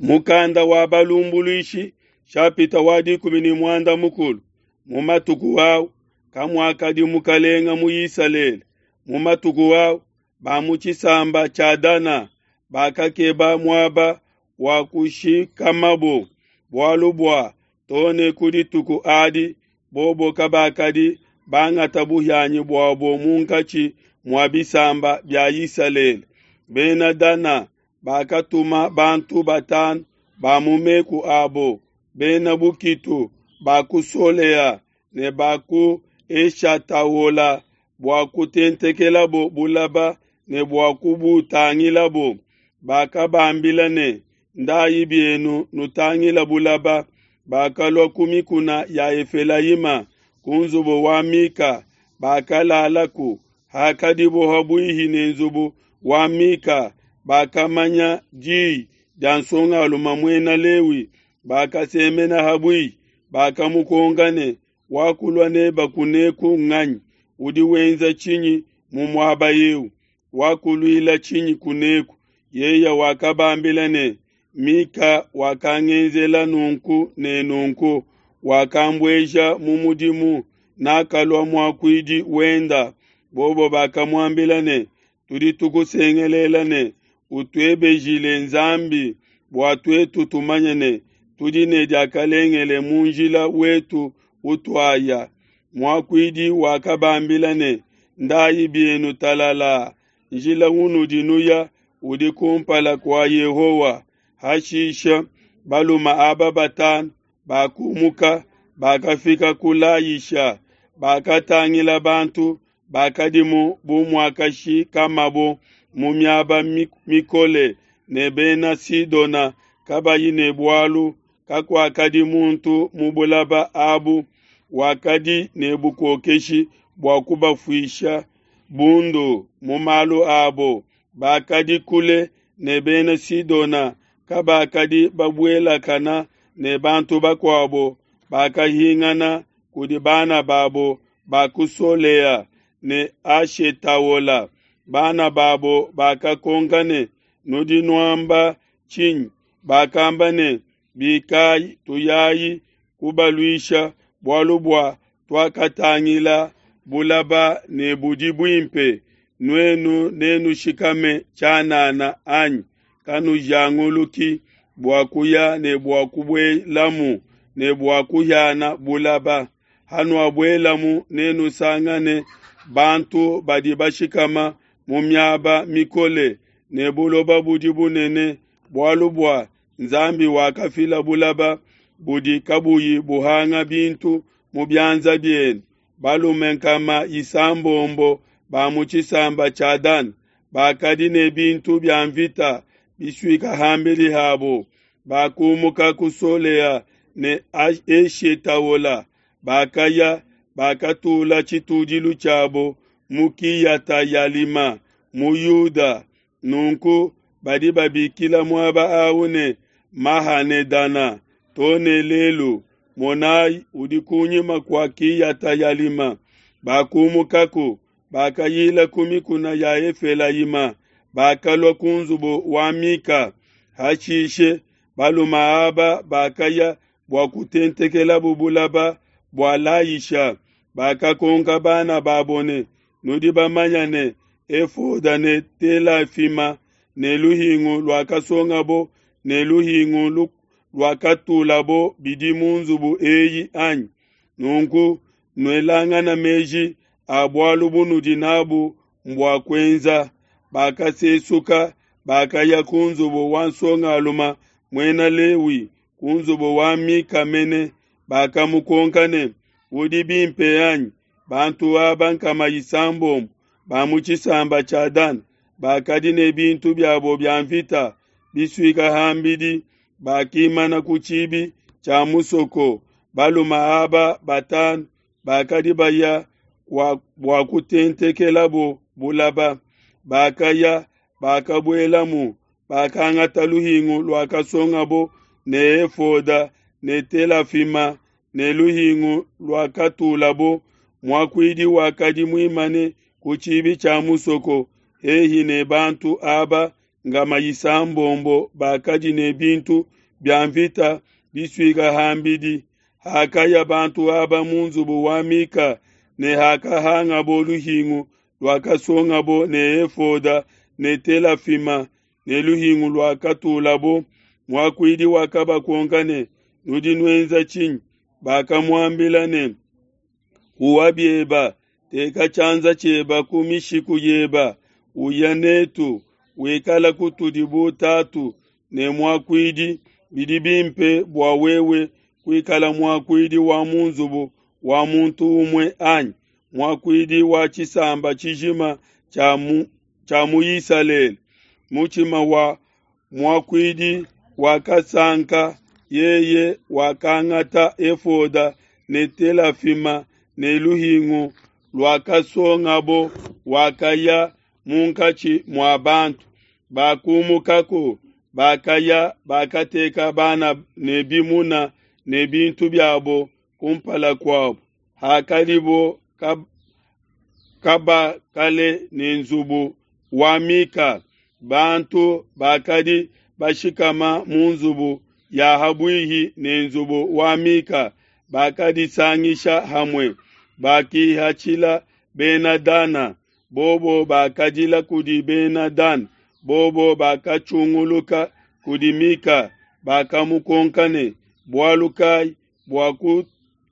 Mukanda wa Balumbuluishi shapita wa 13. Mu matuku au kamuakadi mukalenga mu Isalele. Mu matuku au ba mu tshisamba tshia Dana bakakeba muaba wa kushikamabo, bualu bua too ne ku dituku adi bobo kabakadi bangata buhianyi buabo munkatshi mua bisamba bia Isalele. Bena Dana bakatuma bantu batanu ba mu meku abo, bena bukitu ba ku Solea ne ba ku Eshataola bua kutentekelabo bulaba ne bua kubutangilabo. Bakabambila ne, Ndayi bienu nutangila bulaba. Bakalua ku mikuna ya Efelayima, ku nzubu wa Mika, bakalalaku. Hakadibo habuihi ne nzubu wa Mika, bakamanya diyi dia nsongalume muena Lewi, bakasemena habuihi, bakamukonka ne, Wakulua neba kuneku nganyi? Udi wenza tshinyi mu muaba eu? Wakuluila tshinyi kuneku? Yeye wakabambila ne, Mika wakangenzela nunku ne nunku, wakambueja mu mudimu, nakalua muakuidi wenda. Bobo bakamuambila ne, Tudi tukusengelela ne, Utuebejile Nzambi bua tuetu tumanye ne, tudi ne diakalengele mu njila wetu utuaya. Muakuidi wakabambila ne, Ndayi bienu talalaa, njila unudi nuya udi kumpala kua Yehowa. Hashishe balume aba batanu bakumuka, bakafika ku Layisha, bakatangila bantu bakadimu bu muakashikamabo mu miaba mikole ne Bena Sidona kabayi ne bualu, kakuakadi muntu mu bulaba abu wakadi ne bukokeshi bua kubafuisha bundu mu malu abo. Bakadi kule ne Bena Sidona, kabakadi babuelakana ne bantu bakuabo. Bakahingana kudi bana babo ba ku Solea ne Ashetaola. Bana babo bakakonka ne, Nudi nuamba tshinyi? Bakamba ne, Bikayi, tuyayi kubaluisha, bualu bua tuakatangila bulaba ne budi buimpe. Nuenu nenushikame tshianana, anyi? Kanujanguluki bua kuya ne bua kubuelamu ne bua kuhiana bulaba. Hanuabuelamu, nenusangane bantu badi bashikama mu miaba mikole, ne buloba budi bunene, bualu bua Nzambi wakafila bulaba budi kabuyi buhanga bintu mu bianza bienu. Balume 600 ba mu tshisamba tshia Dana bakadi ne bintu bia mvita bisuika ham'bidi habo, bakumuka ku Solea ne Eshetaola, bakaya, bakatula tshitudilu tshiabo mu Kiyata-yalima mu Yuda. Nunku badi babikila muaba au ne, Mahane-dana to ne lelu. Monai, udi kunyima kua Kiyata-yalima. Bakumukaku, bakayila ku mikuna ya Efelayima, bakalua ku nzubu wa Mika. Hashishe balume aba bakaya bua kutentekelabo bulaba bua Layisha. Bakakonka bana babo ne, Nudi bamanya ne, efoda ne telafima ne luhingu luakasongabo ne luhingu luakatulabo bidi mu nzubu eyi, anyi? Nunku nuelangana meji a bualu bunudi nabu mbua kuenza. Bakasesuka, bakaya ku nzubu wa nsongalume muena Lewi, ku nzubu wa Mika mene. Bakamukonka ne, Udi bimpe, anyi? Bantu aba 600 ba mu tshisamba tshia Dana bakadi ne bintu biabo bia mvita bisuika ham'bidi, bakimana ku tshibi tshia musoko. Balume aba batanu bakadi baya bua kutentekelabo bulaba. Bakaya, bakabuelamu, bakangata luhingu luakasongabo ne efoda ne telafima ne luhingu luakatulabo. Muakuidi wakadi muimane ku tshibi tshia musoko hehi ne bantu aba. nkama isambombo bakadi ne bintu bia nvita bisuika ham'bidi. Hakaya bantu aba mu nzubu wa Mika ne hakahangabo luhingu luakasongabo ne efoda ne telafima ne luhingu luakatulabo, muakuidi wakabakonka ne, Nudi nuenza tshinyi? Bakamuambila ne, Huwa bieba, teka tshianza tshieba ku mishiku yeba, uya netu, wikala kutudi bu tatu ne muakuidi. Bidi bimpe bua wewe kuikala muakuidi wa mu nzubu wa muntu umue anyi muakuidi wa tshisamba tshijima tshia mu Isalele. Mutshima wa muakuidi wakasanka, yeye wakangata efoda ne telafima ne luhingu luakasongabo, wakaya munkatshi mua bantu. Bakumukako, bakaya, bakateka bana ne bimuna ne bintu biabo kumpala kuabo. Hakadibo kaba kale ne nzubu wa Mika, bantu bakadi bashikama mu nzubu ya habuihi ne nzubu wa Mika bakadisangisha hamue, bakihatshila Bena Dana. Bobo bakadila kudi Bena Dana, bobo bakatshunguluka kudi Mika, bakamukonka ne, Bualu kai bua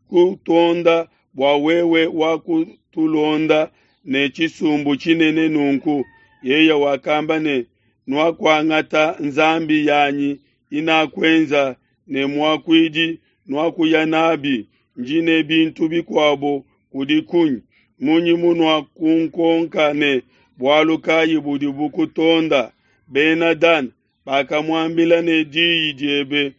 kutonda bua wewe wakutulonda ne tshisumbu tshinene nunku? Yeye wakamba ne, Nuakuangata nzambi yanyi inakuenza ne muakuidi, nuakuya nabi, ndi ne bintu bikuabo kudi kunyi? Munyi munuakunkonka ne, Bualu kai budi bukutonda? Bena Dana bakamuambila ne, Diyi diebe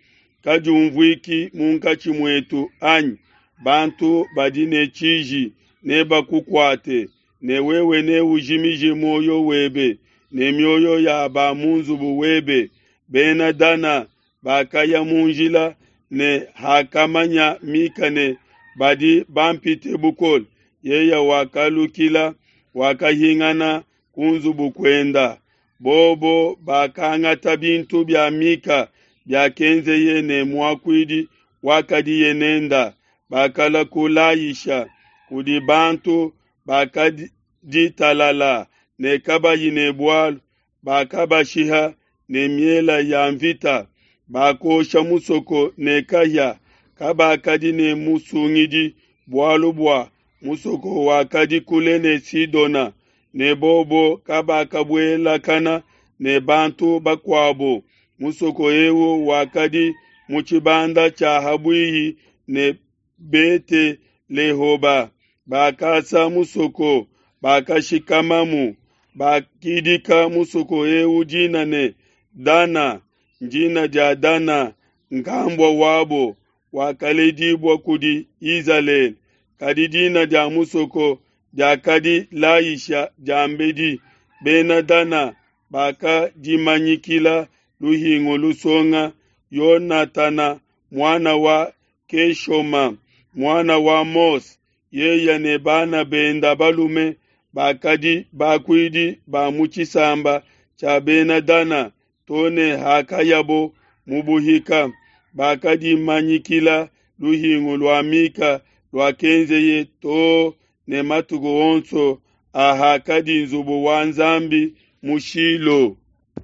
kadiumvuiki munkatshi muetu anyi? Bantu badi ne tshiji nebakukuate, ne wewe neujimije muoyo webe ne mioyo ya ba mu nzubu webe. Bena Dana bakaya mu njila, ne hakamanya Mika ne badi bampite bukole, yeye wakalukila, wakahingana ku nzubu kuenda. Bobo bakangata bintu bia Mika biakenzeye ne muakuidi wakadiye nenda, bakalua ku Layisha kudi bantu bakadi talala ne kabayi ne bualu, bakabashiha ne miela ya nvita, bakosha musoko ne kahia. Kabakadi ne musungidi, bualu bua musoko wakadi kule ne Sidona, ne bobo kabakabuelakana ne bantu bakuabo. Musoko eu wakadi mu tshibanda tshia habuihi ne Bete Lehoba. Bakasa musoko, bakashikamamu, bakidika musoko eu dina ne Dana, ndina dia Dana nkambua wabo wakaledibua kudi Izalele. Kadi dina dia musoko diakadi Layisha diambedi. Bena Dana bakadimanyikila luhingu lusonga Yonatana muana wa Keshoma muana wa Mose, yeye ne bana benda balume bakadi bakuidi ba mu tshisamba tshia Bena Dana to ne hakayabo mu buhika. Bakadimanyikila luhingu lua Mika luakenzeye to ne matuku onso a hakadi nzubu wa Nzambi mu Shilo.